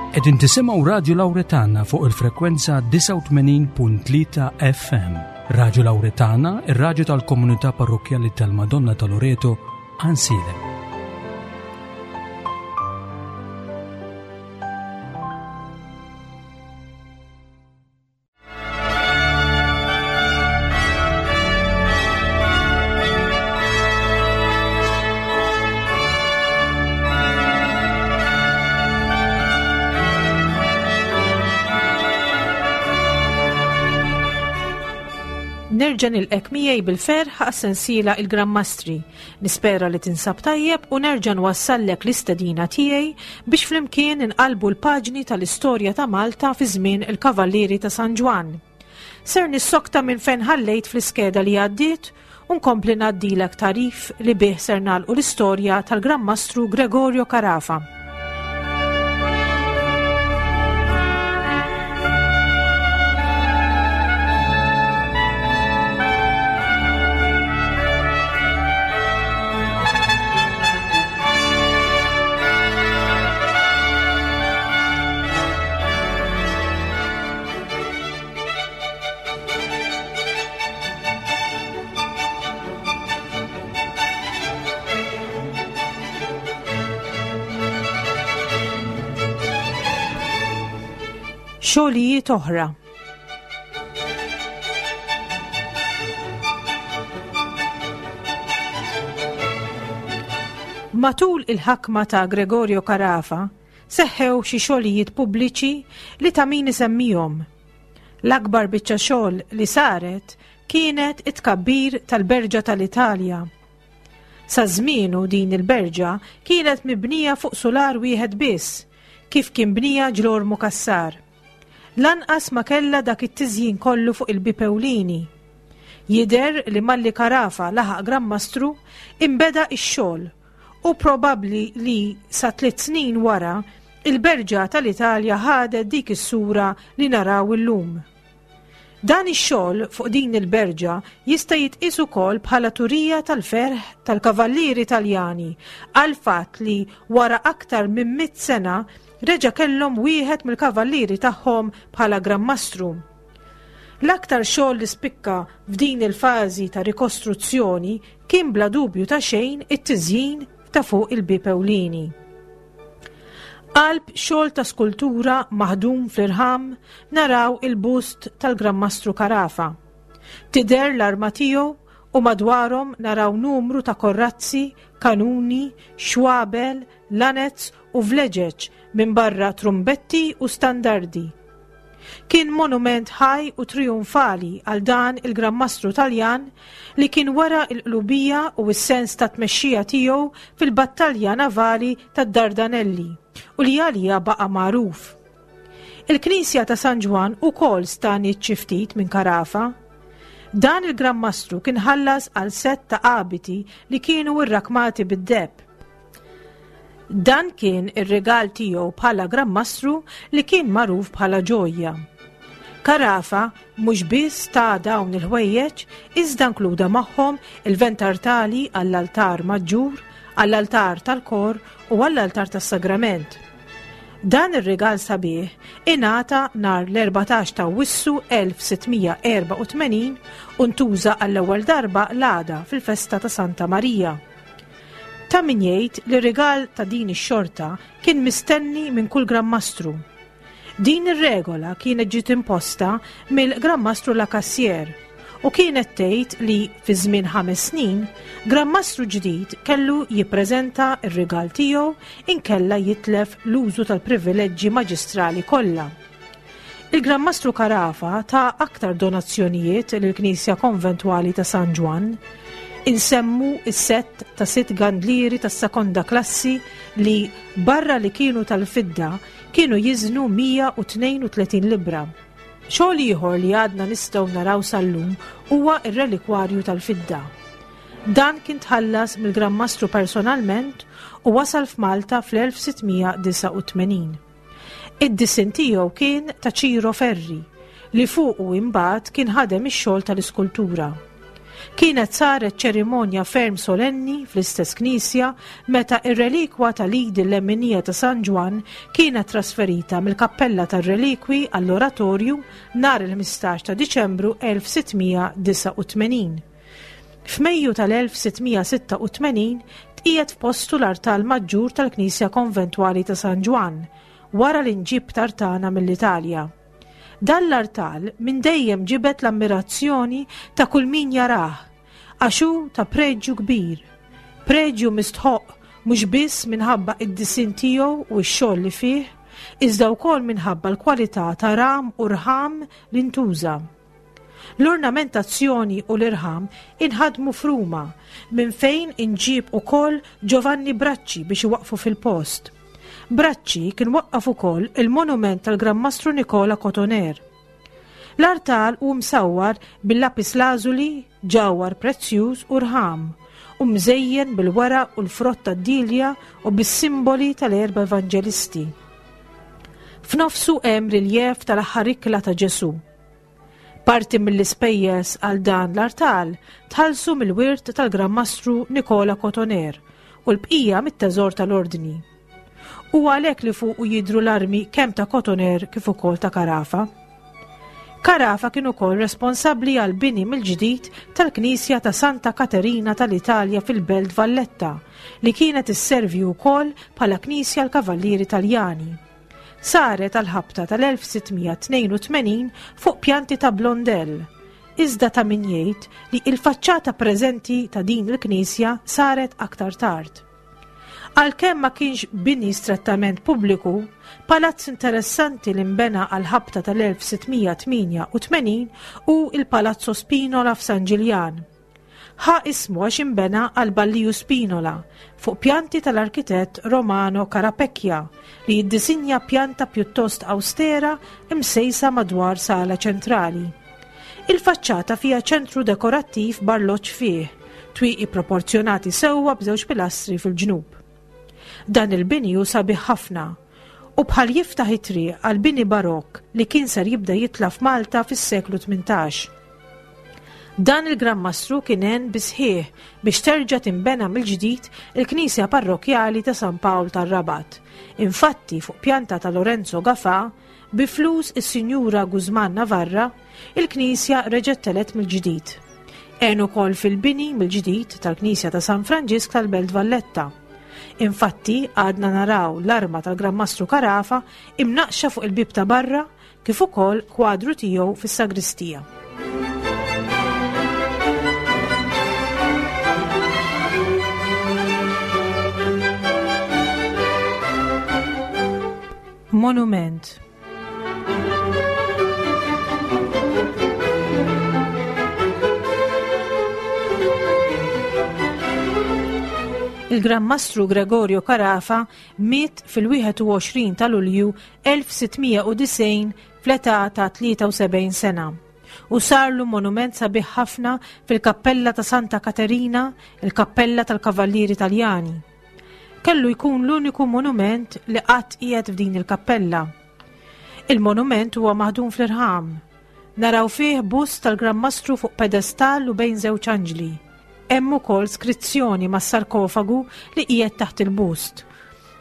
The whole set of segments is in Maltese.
Qegħdin tisimgħu Radju Lawretana fuq il-frekwenza 89.3 FM. Radju Lawretana, ir-radju tal-komunità parrokkjali tal-Madonna ta' Loreto, Ansilem. Nerġa' nilqek miegħi bil-ferħ għas-sensiela il-Gran Mastri. Nispera li tinsab tajjeb u nerġa' nwassallek l-istedina tiegħi biex flimkien inqallbu l-paġni tal-istorja ta' Malta fi żmien il-Kavallieri ta' San Ġwann. Ser nissokta minn fejn ħallejt fl-iskeda li għaddiet u nkompli ngħaddilek tagħrif li bih ser nagħlqu l-istorja tal-Gran Mastru Gregorio Carafa. Xogħlijiet oħra. Matul il-ħakma ta' Gregorio Carafa seħħew xi xogħlijiet pubbliċi li ta' min isemmihom. L-akbar biċċa xogħol li saret kienet it-tkabbir tal-Berġa tal-Italja. Sa żmienu din il-berġa kienet mibnija fuq sular wieħed biss, kif kien bnija Ġlormu Cassar. Lanqas ma kellha dak it-tiżjin kollu fuq il-bieb ewlieni. Jidher li malli Carafa laħaq Gran Mastru, inbeda x-xogħol u probabbli li sa tliet snin wara, il-Berġa tal-Italja ħadet dik is-sura li naraw illum. Dan ix-xogħol fuq din il-berġa jista' jitqies ukoll bħala turija tal-ferħ tal-kavallieri Taljani għall-fatt li wara aktar minn mitt sena reġa' kellhom wieħed mill-kavallieri tagħhom bħala Gran Mastru. L-aktar xogħol li spikka f'din il-fażi ta' rikostruzzjoni kien bla dubju ta' xejn it-tiżjin ta' fuq il-bieb ewlieni. Qalb xogħol ta' skultura maħdum fl-irħam naraw il-bust tal-Gran Mastru Carafa. Tidher l-arma tiegħu u madwarhom naraw numru ta' korrazzi, kanuni, xwabel, lanez u vleġeġ minbarra trumbetti u standardi. Kien monument ħaj u trijunfali għal dan il-Gran Mastru Taljan li kien wera l-qlubija u s-sens ta' tmexxija tiegħu fil-battalja navali tad-Dardanelli u li għaliha baqa' magħruf. Il-Knisja ta' San Ġwann ukoll stagħniet xi ftit minn Carafa. Dan il-Gran Mastru kien ħallas għal sett ta' abiti li kienu rrakmati bid-deheb. Dan kien ir-rigal tiegħu bħala Gran Mastru li kien magħruf bħala ġojja. Carafa mhux biss ta dawn il-ħwejjeġ iżda nkluda magħhom il-ventartali għall-altar maġġur, għall-altar tal-kor u għall-altar tas-sagrament. Dan ir-rigal sabiħ ingħata nhar l-14 ta' Awwissu 1684 u ntuża għall-ewwel darba l-għada fil-festa ta' Santa Marija. Ta' min jgħid li rigal ta' din ix-xorta kien mistenni minn kull Gran Mastru. Din ir-regola kienet ġiet imposta mill-Gran Mastru La Cassière u kienet tgħid li fi żmien ħames snin, Gran Mastru ġdid kellu jippreżenta r-rigal tiegħu inkella jitlef l-użu tal-privileġġi maġistrali kollha. Il-Gran Mastru Carafa ta aktar donazzjonijiet lill-Knisja Konventwali ta' San Ġwann. Insemmu s-sett ta' sitt gandlieri tas-sekonda klassi li, barra li kienu tal-fidda, kienu jiżnu 132 libbra. Xogħol ieħor li għadna nistgħu naraw sal-lum huwa r-relikwarju tal-fidda. Dan kien tħallas mill-Gran Mastru personalment u wasal f'Malta fl-1689. Id-disinn tiegħu kien ta' Ciro Ferri, li fuqu imbagħad kien ħadem ix-xogħol tal-iskultura. Kienet saret ċerimonja ferm solenni fl-istess knisja meta r-relikwa tal-id il-leminija ta' San Ġwann kienet trasferita mill-kappella tar-relikwi għall-oratorju nhar il-15 ta' Diċembru 1689. F'Mejju tal-1686 tqiegħed f'postu l-artal maġġur tal-Knisja Konventwali ta' San Ġwann wara li nġieb tartana mill-Italja. Dan l-artal minn dejjem ġibed l-ammirazzjoni ta' kull min jarah, għax hu ta' preġju kbir. Preġju mistħoqq mhux biss minħabba id-disinn tiegħu u x-xogħol li fih, iżda wkoll minħabba l-kwalità ta' ram u rħam li ntuża. L-ornamentazzjoni u l-irħam inħadmu f'Ruma, minn fejn inġieb ukoll Giovanni Bracci biex iwaqqfu fil-post. Bracci kien waqqaf ukoll il-monument tal-Gran Mastru Nicola Cotoner. L-artal hu msawwar bil-lapis lazuli, ġawhar prezzjuż u rħam, u mżejjen bil-weraq u l-frott tad-dilja u bis-simboli tal-erba' evanġelisti. F'nofsu hemm riljev tal-aħħar ikla ta' Ġesù. Parti mill-ispejjeż għal dan l-artal tħallsu mill-wirt tal-Gran Mastru Nicola Cotoner u l-bqija mit-teżor tal-Ordni. Hu għalhekk li fuqu jidhru l-armi kemm ta' Cotoner kif ukoll ta' Carafa. Carafa kien ukoll responsabbli għal bini mill-ġdid tal-Knisja ta' Santa Katerina tal-Italja fil-Belt Valletta li kienet isservi wkoll bħala knisja l-Kavallieri Taljani. Saret għall-ħabta tal-1682 fuq pjanti ta' Blondel, iżda ta' min jgħid li il-faċċata preżenti ta' din il-knisja saret aktar tard. Għalkemm ma kienx bini strettament pubbliku, palazz interessanti li nbena għall-ħabta tal-1688 hu il-Palazzo Spinola f'San Ġiljan. Ħa ismu għax inbena għal Balliju Spinola fuq pjanti tal-arkitett Romano Carapecchia li jiddisinja pjanta pjuttost awstera msejsa madwar sala ċentrali. Il-faċċata fiha ċentru dekorattiv b'arloġġ fih, twieqi proporzjonati sewwa b'żewġ pilastri fil-ġnub. Dan il-bini hu sabiħ ħafna u bħal jiftaħ it-triq għal bini barokk li kien ser jibda jitla' f'Malta fis-seklu 18. Dan il-Gran Mastru kien għen bis-sħiħ biex terġa' tinbena mill-ġdid il-Knisja Parrokkjali ta' San Pawl tar-Rabat. Infatti, fuq pjanta ta' Lorenzo Gafà, bi flus is-Sinjura Guzman Navarra, il-knisja reġgħet telgħet mill-ġdid. Għen ukoll fil-bini mill-ġdid tal-Knisja ta' San Franġisk tal-Belt Valletta. Infatti, għadna naraw l-arma tal-Gran Mastru Carafa imnaqqxa fuq il-bieb ta' barra kif ukoll kwadru tiegħu fis-sagristija. Monument Il-Gran Mastru Gregorio Carafa miet fil-21 ta' Lulju 1690 fl-età ta' 73 sena u sarlu monument sabiħ ħafna fil-Kappella ta' Santa Katerina, il-Kappella tal-Kavallieri Taljani. Kellu jkun l-uniku monument li qatt qiegħed f'din il-kappella. Il-monument huwa maħdum fl-irħam. Naraw fih bust tal-Gran Mastru fuq pedestall u bejn żewġ anġli. Hemm ukoll skrizzjoni mas-sarkofagu li qiegħed taħt il-bust.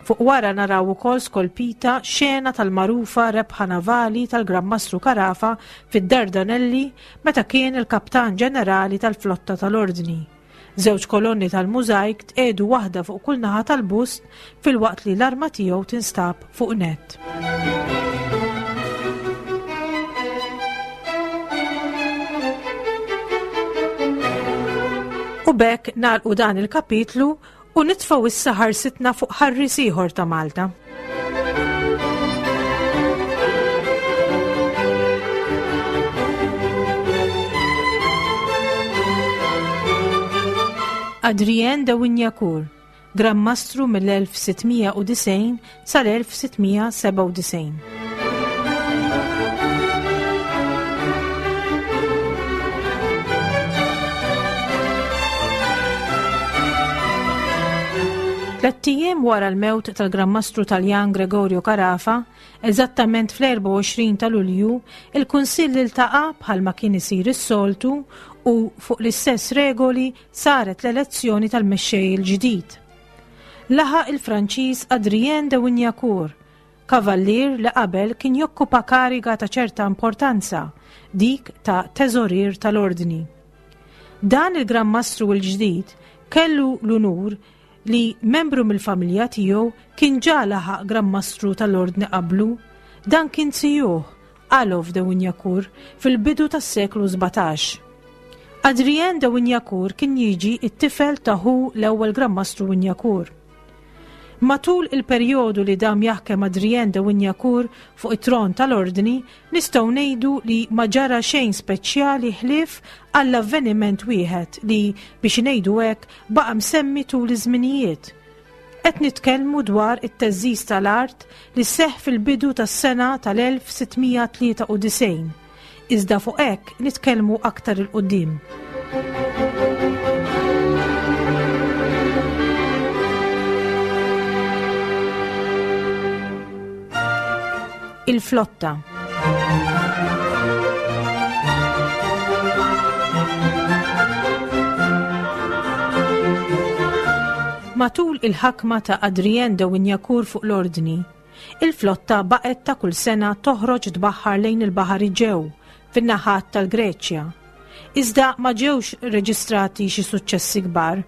Fuq wara naraw ukoll skolpita xena tal-magħrufa rebħa navali tal-Gran Mastru Carafa fid-Dardanelli meta kien il-Kaptan Ġenerali tal-Flotta tal-Ordni. Żewġ kolonni tal-mużajk tqiegħdu waħda fuq kull naħa tal-bust filwaqt li l-arma tiegħu tinstab fuq nett. U b'hekk nagħlqu dan il-kapitlu U nitfgħu issa ħarsitna fuq ħarries ieħor ta' Malta. Adrien de Wignacourt, Gran Mastru mill-1690 sal-1697. Tlett ijiem wara l-mewt tal-Gran Mastru Taljan Gregorio Carafa, eżattament fl-24 ta' Lulju, il-Kunsill iltaqa' bħalma kien isir is-soltu U fuq l-istess regoli saret l-elezzjoni tal-mexxej il-ġdid. Laħaq il-Franċiż Adrien de Wignacourt, kavallier li qabel kien jokkupa kariga ta' ċerta importanza, dik ta' teżorier tal-Ordni. Dan il-Gran Mastru l-ġdid kellu l-unur li membru mill-familja tiegħu kien ġa laħaq Gran Mastru tal-Ordni qablu, dan kien zijuh, Alof de Wignacourt, fil-bidu tas-seklu 17. Adrien de Wignacourt kien jiġi t-tifel ta' ħu l-ewwel Gran Mastru Wignacourt. Matul il-perjodu li dam jaħkem Adrien de Wignacourt fuq it-tron tal-Ordni, nistgħu ngħidu li ma ġara xejn speċjali ħlief għall-avveniment wieħed li, biex ngħidu hekk, baqa' msemmi tul iż-żminijiet. Qed nitkellmu dwar it-theżżiż tal-art li seħħ fil-bidu tas-sena tal-1693. Iżda fuq hekk nitkellmu aktar 'il quddiem. Il-flotta. Matul il-ħakma ta' Adrien de Wignacourt fuq l-Ordni, il-flotta baqgħet ta' kull sena toħroġ tbaħħar lejn il-Baħar Eġew fin-naħat tal-Greċja. Iżda ma ġewx reġistrati xi suċċessi kbar.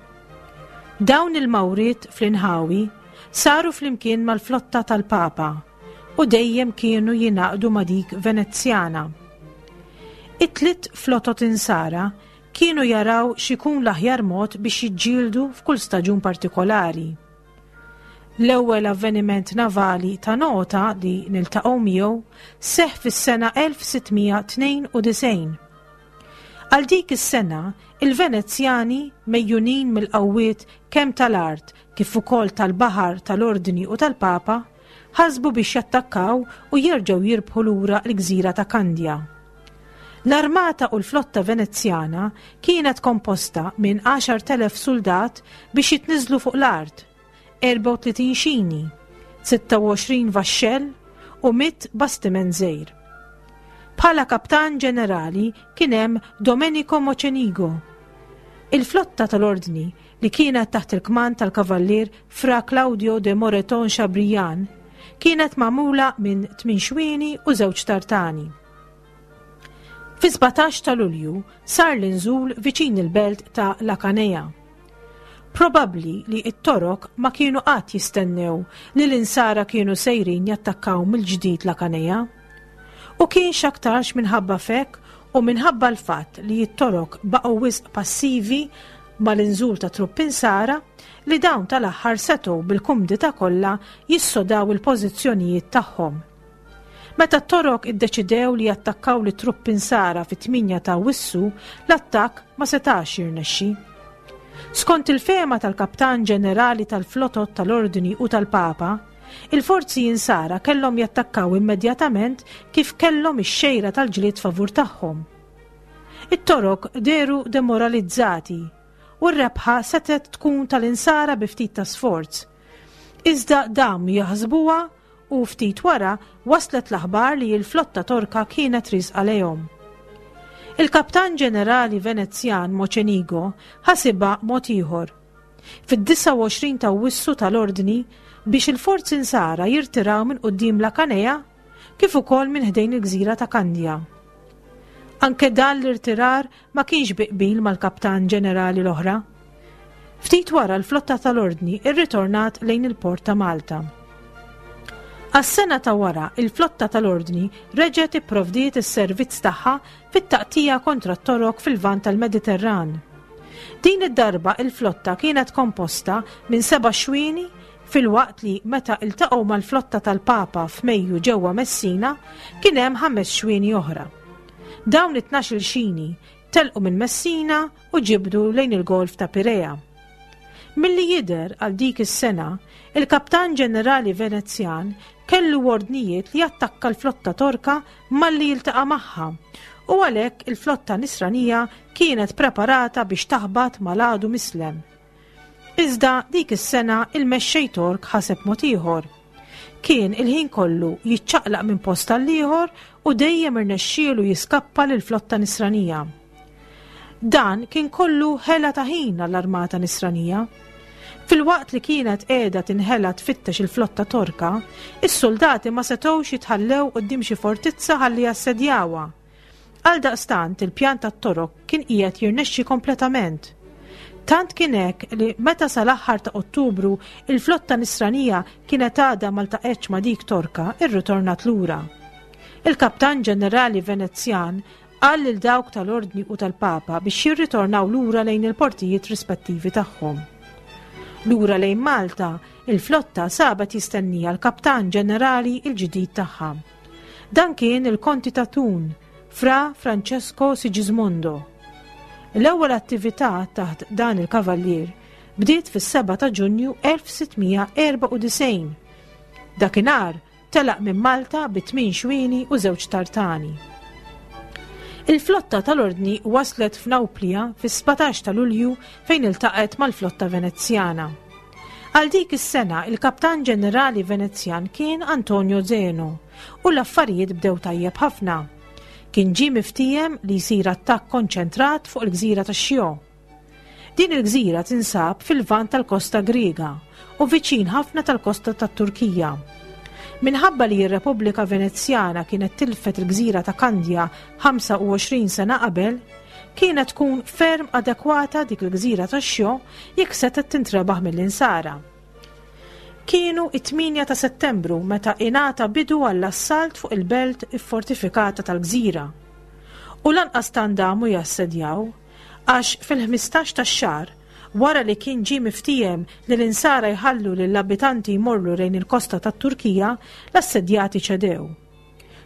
Dawn il-mawriet fl-inħawi saru flimkien mal-flotta tal-Papa u dejjem kienu jingħaqdu ma' dik Venezjana. It-tlitt flotot insara kienu jaraw x'ikun l-aħjar mod biex jiġġieldu f'kull staġun partikolari. L-ewwel avveniment navali ta' nota li niltaqgħu miegħu seħħ fis-sena 1692. Għal dik is-sena, il-Venezjani, megħjunin mill-qawwiet kemm tal-art kif ukoll tal-baħar tal-Ordni u tal-Papa, ħasbu biex jattakkaw u jerġgħu jirbħu lura l-gżira ta' Kandja. L-armata u l-flotta Venezjana kienet komposta minn 10,000 suldat biex jitniżżlu fuq l-art, 34 xini, 26 vaxxell u 100 bastiment żgħir. Bħala kaptan ġenerali kien hemm Domenico Mocenigo. Il-flotta tal-Ordni li kienet taħt il-kmand tal-Kavallier Fra Claudio de Moreton Chabrian, kienet magħmula minn tmien xwieni u żewġ tartani. Fi-17 ta' Lulju sar l-inżul viċin il-belt ta' La Canea. Probabbli li t-Torok ma kienu qatt jistennew li l-Insara kienu sejrin jattakkaw mill-ġdid La Canea. U kien x'aktarx minħabba f'hekk u minħabba l-fatt li t-Torok baqgħu wisq passivi mal-inżul ta' truppi Nsara li dawn tal-aħħar setgħu bil-kumdità kollha jissodaw il-pożizzjonijiet tagħhom. Meta t-Torok iddeċidew li jattakkaw lit-truppi Nsara fit-8 ta' Awwissu, l-attakk ma setax jirnexxi. Skont il-fehma tal-Kaptan Ġenerali tal-Flotot tal-Ordni u tal-Papa, il-forzi Insara kellhom jattakkaw immedjatament kif kellhom ix-xejra tal-ġlied favur tagħhom. It-Torok dehru demoralizzati u r-rebħa setgħet tkun tal-Insara bi ftit ta' sforz. Iżda damu jaħsbuha u ftit wara waslet l-aħbar li l-flotta Torka kienet riesqa lejhom. Il-Kaptan Ġenerali Venezjan Mocenigo ħasibha mod ieħor. Fid-29 ta' Awwissu ta l-ordni biex il-forzi Nsara jirtiraw minn quddiem La Canea kif ukoll minn ħdejn il-gżira ta' Kandja. Anke dan l-irtirar ma kienx bi qbil mal-kaptan ġenerali l-oħra. Ftit wara l-flotta tal-Ordni rritornat lejn il-port ta' Malta. Għas-sena ta' wara, il-flotta tal-Ordni reġgħet ipprovdiet is-servizz tagħha fit-taqtija kontra t-Torok fil-Lvant tal-Mediterran. Din id-darba il-flotta kienet komposta minn seba' xwieni filwaqt li meta iltaqgħu mal-flotta tal-Papa f'Mejju ġewwa Messina kien hemm ħames xwieni oħra. Dawn it-tnax-il xini telqu minn Messina u ġibdu lejn il-Golf ta' Pirea. Milli jidher għal dik is-sena, il-Kaptan Ġenerali Venezjan kellu ordnijiet li jattakka l-flotta Torka malli jiltaqa' magħha u għalhekk il-flotta Nisranija kienet preparata biex taħbat mal-għadu mislem. Iżda dik is-sena il-mexxej Tork ħaseb mod ieħor. Kien il-ħin kollu jiċċaqlaq minn post għall-ieħor u dejjem irnexxielu jiskappa lill-flotta Nisranija. Dan kien kollu ħela ta' ħin għall-armata Nisranija. Filwaqt li kienet qiegħda tinħela tfittex il-flotta Torka, is-suldati ma setgħux jitħallew quddiem xi fortizza ħalli jassedjawha. Għaldaqstant il-pjan tat-Torok kien qiegħed jirnexxi kompletament. Tant kien hekk li meta sal-aħħar ta' Ottubru il-flotta Nisranija kienet għadha ma ltaqgħetx ma' dik Torka, irritornat lura. Il-Kaptan Ġenerali Venezjan qal lil dawk tal-Ordni u tal-Papa biex jirritornaw lura lejn il-portijiet rispettivi tagħhom. Lura lejn Malta, il-flotta sabet jistennija l-Kaptan Ġenerali l-ġdid tagħha. Dan kien il-Konti ta' Thun, Fra Francesco Sigismondo. L-ewwel attività taħt dan il-kavallier bdiet fis-7 ta' Ġunju 1694. Dakinhar Telaq minn Malta bi tmien xwieni u żewġ tartani. Il-flotta tal-Ordni waslet f'Nawplia fis-17 ta' Lulju fejn iltaqgħet mal-flotta Venezjana. Għal dik is-sena il-Kaptan Ġenerali Venezjan kien Antonio Zeno u l-affarijiet bdew tajjeb ħafna. Kien ġie miftiehem li jsir attakk konċentrat fuq il-gżira ta' Xio. Din il-gżira tinsab fil-Lvant tal-kosta Griega u viċin ħafna tal-kosta tat-Turkija. Minħabba li r-Repubblika Venezjana kienet tilfet il-gżira ta' Kandja 25 sena qabel, kienet tkun ferm adekwata dik il-gżira ta' Xjo jekk setgħet tintrebaħ mill-Insara. Kienu it-8 ta' Settembru meta ingħata bidu għall-assalt fuq il-belt iffortifikata tal-gżira. U lanqas tant damu jassedjaw, Għax fil-ħmistax tax-xahar, wara li kien ġie miftiehem li l-Insara jħallu lill-abitanti jmorru lejn il-kosta tat-Turkija, l-assedjati ċedew.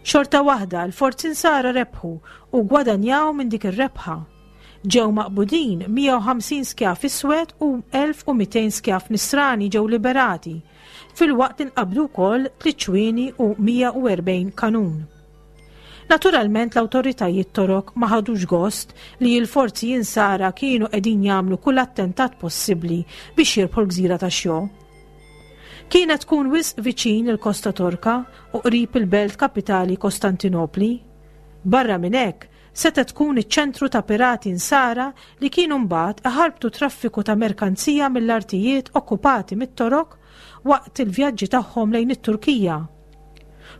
Xorta waħda, l-forzi Nsara rebħu u ggwadanjaw minn dik ir-rebħa. Ġew maqbudin 150 skjav iswed u 1,200 skjav Nisrani ġew liberati, filwaqt li nqabdu wkoll tliet xwieni u 140 kanun. Naturalment l-awtoritajiet Torok ma ħadux gost li l-forzi Insara kienu qegħdin jagħmlu kull attentat possibbli biex jirbħu l-gżira ta' Xjo. Kienet tkun wisq viċin il-kosta Torka u qrib il-belt kapitali Kostantinopli. Barra minn hekk, setgħet tkun iċ-ċentru ta' pirati Insara li kienu mbagħad iħarbtu traffiku ta' merkanzija mill-artijiet okkupati mit-Torok waqt il-vjaġġi tagħhom lejn it-Turkija.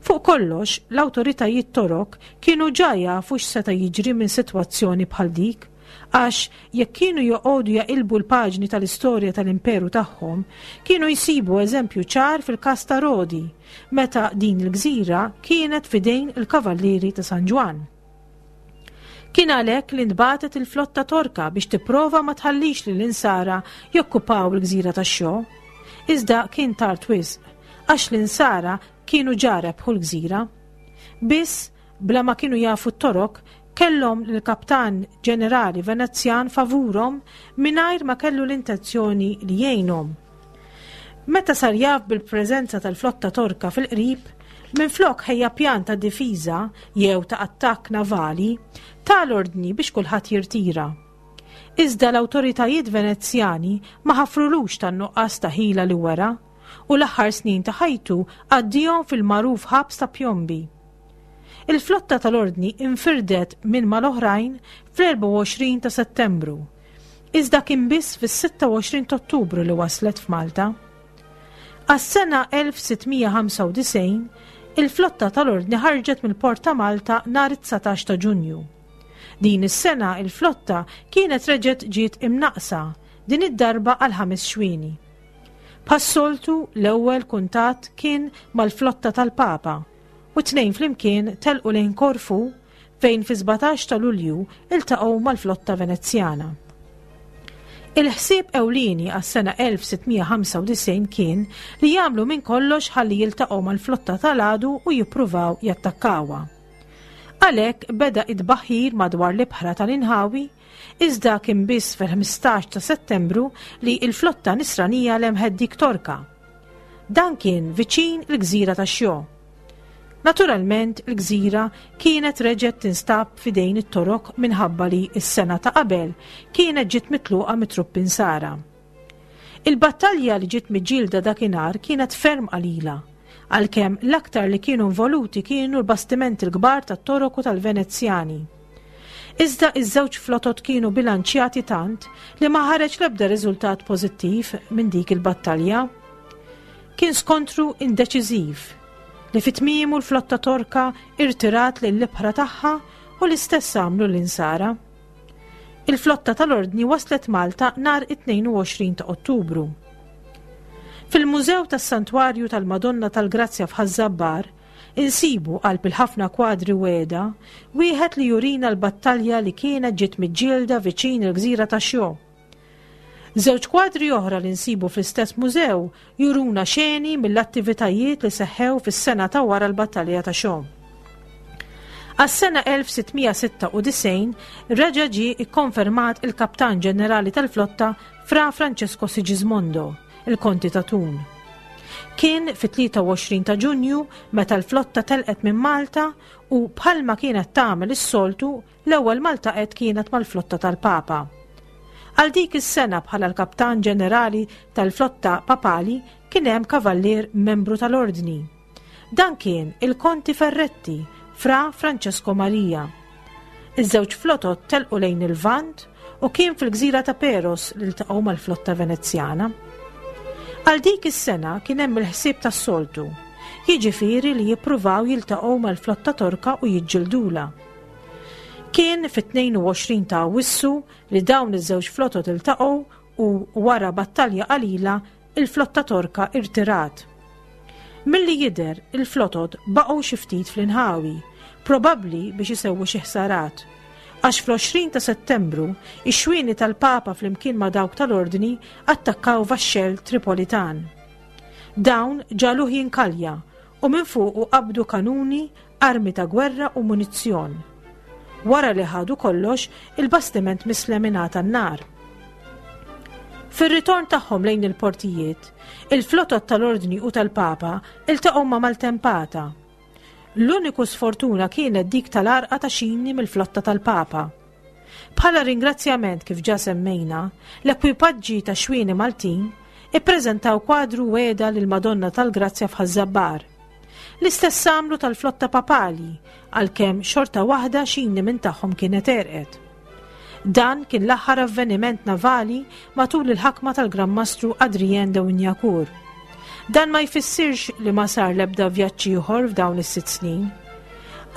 Fuq kollox, l-awtoritajiet Torok kienu ġa jafu x'seta' jiġri minn sitwazzjoni bħal dik, għax jekk kienu joqogħdu jaqilbu l-paġni tal-istorja tal-imperu tagħhom, kienu jsibu eżempju ċar fil-każ ta' Rodi, meta din il-gżira kienet f'idejn il-Kavallieri ta' San Ġwann. Kien għalhekk li ntbagħtet il-flotta Torka biex tipprova ma tħallix lill-Insara jokkupaw il-gżira ta' Xo. Iżda kien tard wisq, għax l-Insara kienu ġa rebħu l-gżira. Biss, bla ma kienu jafu t-Torok, kellhom lill-kaptan ġenerali Venezjan favurhom mingħajr ma kellu l-intenzjoni li jgħinhom. Meta sar jaf bil-preżenza tal-flotta Torka fil-qrib, minflok ħejja pjan ta' difiża jew ta' attakk navali, ta l-ordni biex kulħadd jirtira. Iżda l-awtoritajiet Venezjani ma ħafrulux tan-nuqqas ta' ħila li wera, u l-aħħar snin ta' ħajtu għaddihom fil-magħruf ħabs ta' Piombi. Il-flotta tal-Ordni infirdet minn mal-oħrajn fl-24 ta' Settembru, Iżda kien biss fis-26 t'Ottubru li waslet f'Malta. Għas-sena 1695, il-flotta tal-Ordni ħarġet mill-Port ta' Malta nhar it-19 ta' Ġunju. Din is-sena il-flotta kienet reġgħet ġiet imnaqqsa, din id-darba għal ħames xwieni. Bħas-soltu, l-ewwel kuntatt kien mal-flotta tal-Papa u t-tnejn flimkien telqu lejn Korfu fejn fis-17 ta' Lulju ltaqgħu mal-flotta Venezjana. Il-ħsieb ewlieni għas-sena 1695 kien li jagħmlu minn kollox ħalli jiltaqgħu mal-flotta tal-għadu u jippruvaw jattakkawha. Għalhekk beda it-tbaħħir madwar l-ibħra tal-inħawi, iżda kien biss fil-15 ta' Settembru li l-flotta Nisranija lemħet dik Torka. Dan kien viċin il-gżira ta' Xjo. Naturalment, il-gżira kienet reġgħet tinstab f'idejn it-Torok minħabba li s-sena ta' qabel kienet ġiet mitluqa mit-truppi Nsara. Il-battalja li ġiet miġġielda dakinhar kienet ferm qalila, għalkemm l-aktar li kienu involuti kienu l-bastimenti l-kbar tat-Torok u tal-Venezjani. Iżda iż-żewġ flotot kienu bilanċjati tant li ma ħareġ l-ebda riżultat pożittiv minn dik il-battalja. Kien skontru indeċiżiv li fi tmiemu l-flotta Torka irtirat lill-ibħra tagħha u l-istess għamlu l-Insara. Il-flotta tal-Ordni waslet Malta nhar it-22 ta' Ottubru. Fil-Mużew tas-Santwarju tal-Madonna tal-Grazzja f'Ħaż-Żabbar insibu qalb il-ħafna kwadri wegħda wieħed li jurina l-battalja li kienet ġiet miġġielda viċin il-gżira ta' Xjo. Żewġ kwadri oħra li nsibu fl-istess mużew juruna xeni mill-attivitajiet li seħħew fis-sena ta' wara l-Battalja ta' Xo. Għas-sena 1696 reġa' ġie ikkonfermat il-Kaptan Ġenerali tal-Flotta Fra Francesco Sigismondo, il-Konti ta' Thun. Kien fit-23 ta' Ġunju meta l-flotta telqet minn Malta u bħalma kienet tagħmel is-soltu L-ewwel ma ltaqgħet kienet mal-flotta tal-Papa. Għal dik is-sena bħala l-Kaptan Ġenerali tal-flotta Papali kien hemm kavallier membru tal-Ordni. Dan kien il-Konti Ferretti, Fra Francesco Maria. Iż-żewġ flotot telqu lejn il-Lvant u kien fil-gżira ta' Peros li ltaqgħu mal-flotta Venezjana. Għal dik is-sena kien hemm il-ħsieb tas-soltu, jiġifieri li jippruvaw jiltaqgħu mal-flotta Torka u jiġġildulha. Kien fit-22 ta' Awwissu li dawn iż-żewġ flotot iltaqgħu u wara battalja qalila il-flotta Torka irtirat. Milli jidher il-flotot baqgħu xi ftit fl-inħawi, probabbli biex isewwu xi ħsarat. Għax fl-20 ta' Settembru, ix-xwieni tal-Papa flimkien ma' dawk tal-Ordni attakkaw vaxxell Tripolitan. Dawn ġagħluh jinkalja u minn fuqu qabdu kanuni, armi ta' gwerra u munizzjon. Wara li ħadu kollox, il-bastiment mislem ingħata n-nar. Fir-ritorn tagħhom lejn il-portijiet, il-flotot tal-Ordni u tal-Papa iltaqgħu ma' maltempata. L-uniku sfortuna kienet dik tal-għarqa ta' xini mill-flotta tal-Papa. Bħala ringrazzjament kif ġa semmejna, l-ekwipaġġi ta' xwieni Maltin ippreżentaw kwadru wegħda lill-Madonna tal-Grazzja f'Ħaż-Żabbar. L-istess għamlu tal-flotta papali, għalkemm xorta waħda xini minn tagħhom kienet għerqet. Dan kien l-aħħar avveniment navali matul il-ħakma tal-Gran Mastru Adrien de Wignacourt. Dan ma jfissirx li ma sar l-ebda vjaġġ ieħor f'dawn is-sitt snin.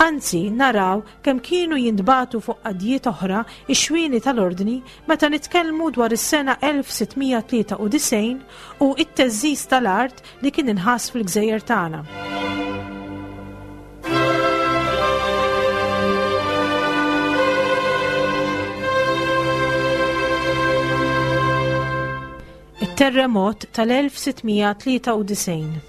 Anzi, naraw kemm kienu jintbagħtu fuq qadjiet oħra x-xwieni tal-Ordni meta nitkellmu dwar is-sena 1693 u t-theżżiż tal-art li kien inħass fil-gżejjer tagħna. It-terremot tal-1693.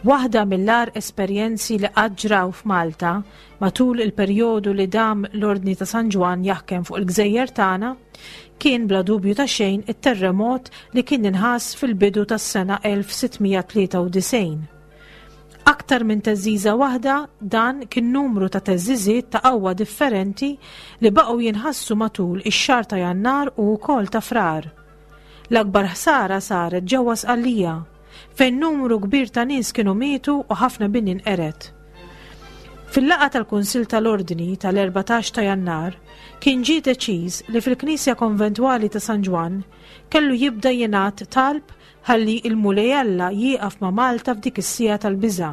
Waħda mill-agħar esperjenzi li qatt ġraw f'Malta matul il-perjodu li dam l-Ordni ta' San Ġwann jaħkem fuq il-gżejjer tagħna kien bla dubju ta' xejn it-terremot li kien inħass fil-bidu tas-sena 1693. Aktar minn theżżiża waħda, dan kien numru ta' theżżiżiet ta' qawwa differenti li baqgħu jinħassu matul ix-xahar ta' Jannar u wkoll ta' Frar. L-akbar ħsara saret ġewwa Sqallija, fejn numru kbir ta' nies kienu mietu u ħafna bini nqered. Fil-laqgħa tal-Kunsill tal-Ordni tal-14 ta' Jannar, kien ġie deċiż li fil-Knisja Konventwali ta' San Ġwann kellu jibda jingħad talb Ħalli il-Mulej Alla jieqaf ma' Malta f'dik is-siegħa tal-biża'.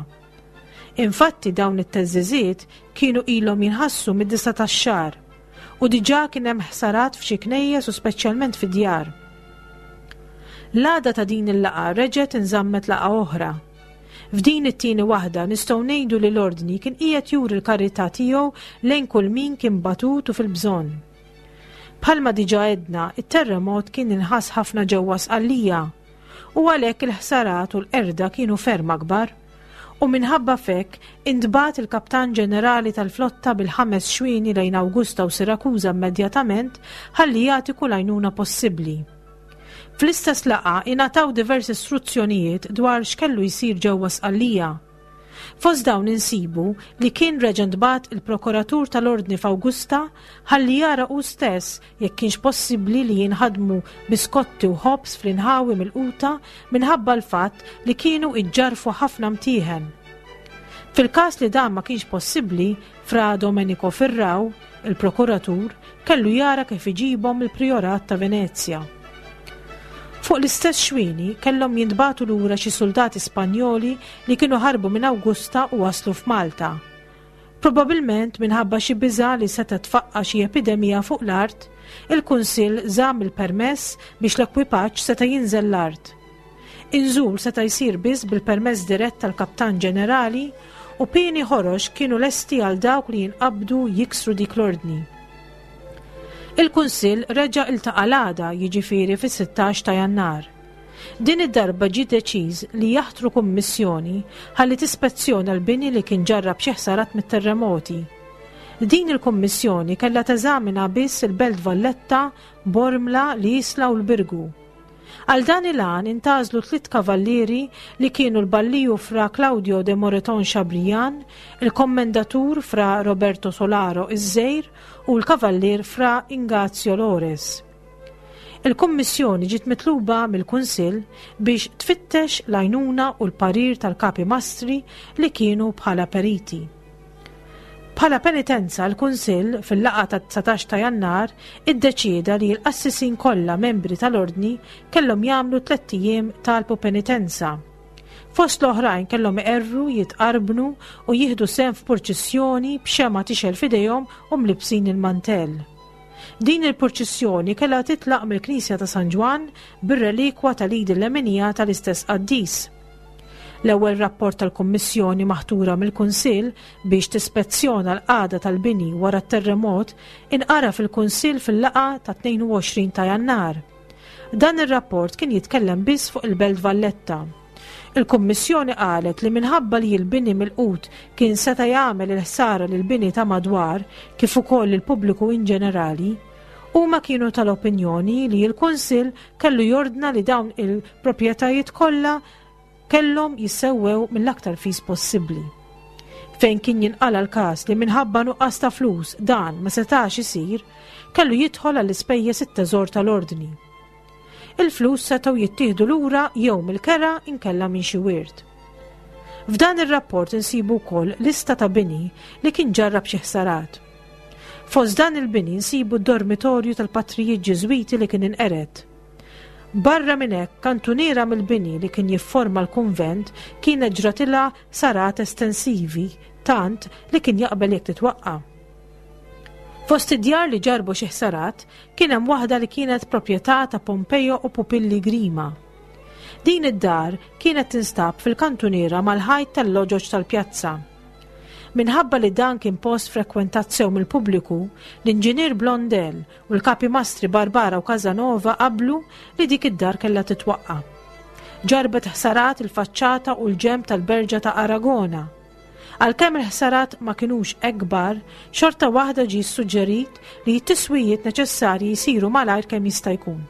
Infatti dawn it-theżżiżiet kienu ilhom jinħassu mid-disa' tax-xahar u diġà kien hemm ħsarat f'xi knejjes u speċjalment fid-djar. L-għada ta' din il-laqgħa reġgħet inżammet laqgħa oħra. F'din it-tieni waħda nistgħu ngħidu li l-Ordni kien qiegħed juri l-karità tiegħu lejn kull min kien batut u fil-bżonn. Bħalma diġà għedna, it-terremot kien inħass ħafna ġewwa Sqallija u għalhekk il-ħsarat u l-qerda kienu ferm akbar. U minħabba f'hekk intbagħat il-Kaptan Ġenerali tal-flotta bil-ħames xwieni lejn Awgusta u Sirakuża immedjatament ħalli jagħti kull għajnuna possibbli. Fl-istess laqgħa ingħataw diversi struzzjonijiet dwar x'kellu jsir ġewwa Sqallija. Fost dawn insibu li kien reġa' ntbagħat il-Prokuratur tal-Ordni f'Awgusta ħalli jara hu stess jekk kienx possibbli li jinħadmu biskotti u ħobż fl-inħawi milquta minħabba l-fatt li kienu iġġarrfu ħafna mtieħen. Fil-każ li dan ma kienx possibbli, Fra Domenico Firrau, il-prokuratur, kellu jara kif iġibhom mill-Prijorat ta' Venezja. Fuq l-istess xwieni kellhom jintbagħtu lura xi suldati Spanjoli li kienu ħarbu minn Awgusta u waslu f'Malta. Probabilment minħabba xi biża' li setgħet tfaqqa' xi epidemija fuq l-art, il-Kunsill żamm il-permess biex l-ekwipaġġ seta' jinżel l-art. Inżul seta' jsir biss bil-permess dirett tal-Kaptan Ġenerali u pieni ħorox kienu lesti għal dawk li jinqabdu jiksru dik l-ordni. Il-Kunsill reġa' iltaqa' l-għada, jiġifieri fis-16 ta' Jannar. Din id-darba ġie deċiż li jaħtru kummissjoni ħalli tispezzjona l-bini li kien ġarrab xi ħsarat mit-terremoti. Din il-kummissjoni kellha teżamina biss il-Belt Valletta, Bormla, l-Isla u l-Birgu. Għal dan il-għan intgħażlu tlitt kavallieri li kienu l-Balliju Fra Claudio de Moreton Chabrian, il-Kommendatur Fra Roberto Solaro iż-Żgħir u l-Kavallier Fra Ingazio Lores. Il-Kummissjoni ġiet mitluba mill-Kunsill biex tfittex l-għajnuna u l-parir tal-Kapi Mastri li kienu bħala periti. Bħala penitenza l-Kunsill, fil-laqgħa tat-19 ta' Jannar, iddeċieda li l-qassisin kollha membri tal-Ordni kellhom jagħmlu tlett ijiem talb u penitenza. Fost l-oħrajn kellhom iqerru, jitqarbnu u jieħdu sehem f'purċissjoni b'xemgħa tixgħel f'idejhom u mlibbsin il-mantell. Din il-purċissjoni kellha titlaq mill-Knisja ta' San Ġwann bir-relikwa tal-id il-leminija tal-istess qaddis. L-ewwel rapport tal-Kummissjoni maħtura mill-Kunsill biex tispezzjona l-qagħda tal-bini wara t-terremot inqara fil-Kunsill fil-laqgħa tat-22 ta' Jannar. Dan ir-rapport kien jitkellem biss fuq il-Belt Valletta. Il-Kummissjoni qalet li minħabba li l-bini milqut kien seta' jagħmel il-ħsara lill-bini ta' madwar kif ukoll lill-pubbliku inġenerali, huma kienu tal-opinjoni li l-Kunsill kellu jordna li dawn il-proprjetajiet kollha kellhom jissewwew mill-aktar fis possibbli. Fejn kien jinqala l-każ li minħabba nuqqas ta' flus dan ma setax isir, kellu jidħol għall-ispejjeż it-teżor tal-ordni. Il-flus setgħu jittieħdu lura jew mill-kera inkella minn xi wirt. F'dan ir-rapport insibu wkoll lista ta' bini li kien ġarrab xi ħsarat. Fost dan il-bini nsibu d-dormitorju tal-patrijiet Ġiżwiti li kien inqered. Barra minn hekk, kantuniera mill-bini li kien jifforma l-kunvent kienet ġratilha ħsarat estensivi tant li kien jaqbel jekk titwaqqa'. Fost id-djar li ġarrbu xi ħsarat kien hemm waħda li kienet proprjetà ta' Pompeo u Pupilli Grima. Din id-dar kienet tinstab fil-kantuniera mal-ħajt tal-loġoġ tal-pjazza. Minħabba li dan kien post frekwentat sew mill-pubbliku, l-inġinier Blondel u l-kapi mastri Barbara u Casanova qablu li dik id-dar kellha titwaqqa'. Ġarrbet ħsarat il-faċċata u l-ġenb tal-Berġa ta' Aragona. Għalkemm il-ħsarat ma kinux hekk kbar, xorta waħda ġie ssuġġerit li t-tiswijiet neċessarji jsiru malajr kemm jista' jkun.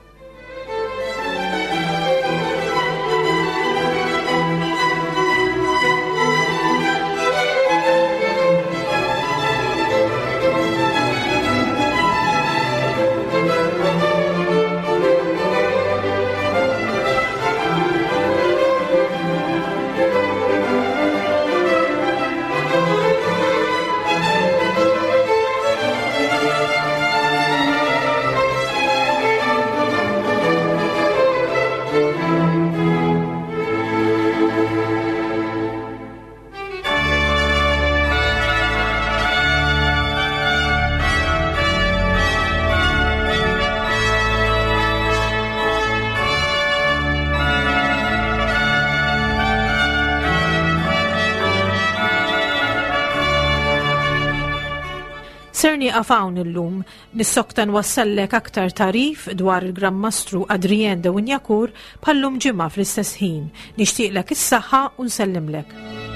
Ser nieqaf hawn illum, nissokta nwassallek aktar tagħrif dwar il-Gran Mastru Adrien de Wignacourt bħal-lum ġimgħa fl-istess ħin. Nixtieqlek is-saħħa u nsellimlek.